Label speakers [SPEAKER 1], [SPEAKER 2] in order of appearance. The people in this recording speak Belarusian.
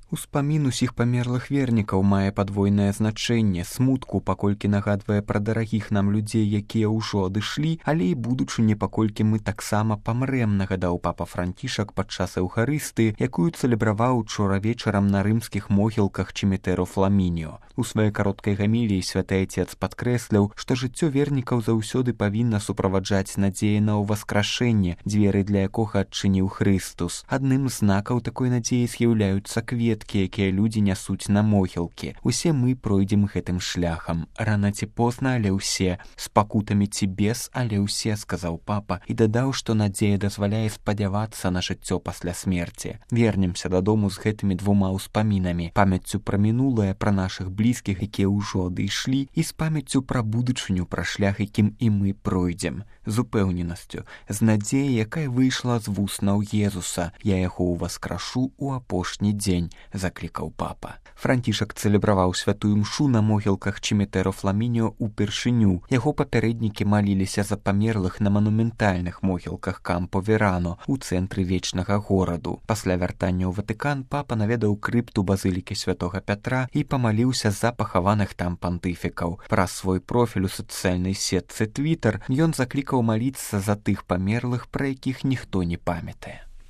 [SPEAKER 1] Успамін усіх памерлых вернікаў мае падвойнае значэнне, смутку, паколькі нагадвае пра дарагіх нам людзей, якія ўжо адышлі, але і будучыню, паколькі мы таксама памрэм, нагадаў папа Францішак падчас эўхарысты, якую цэлебраваў учора вечарам на рымскіх могілках Чимітэро Фламініо. У сваёй кароткай гаміліі святы Айцец падкрэсліў, што жыццё вернікаў заўсёды павінна суправаджаць надзея на ўваскрашэнне, дзверы для якога адчыніў Хрыстус. Адным з знакаў такой надзеі з'яўляюцца кветкі, якія людзі нясуць на могілкі. Усе мы пройдзем гэтым шляхам. Рана ці позна, але ўсе. З пакутамі ці без, але ўсе, сказаў папа, і дадаў, што надзея дазваляе спадзявацца на жыццё пасля смерці. Вернемся дадому з гэтымі двума ўспамінамі, памяццю пра мінулае, пра нашых блізкіх, якія ўжо адышлі, і з памяццю пра будучыню, пра шлях, якім і мы пройдзем. З упэўненасцю, з надзеяй, якая выйшла з вуснаў Езуса. Я яго ўваскрашу ў апошні дзень, заклікаў папа. Францішак цэлебраваў святую мшу на могілках Чимітэро Фламініо упершыню. Яго папярэднікі маліліся за памерлых на манументальных могілках Кампо-Верано у цэнтры вечнага гораду. Пасля вяртання ў Ватыкан папа наведаў крыпту базылікі святога Пятра і памаліўся за пахаваных там пантыфікаў. Праз свой профіль у сацыяльнай сетцы Твітер ён заклікаў маліцца за тых памерлых, пра якіх ніхто не памятае.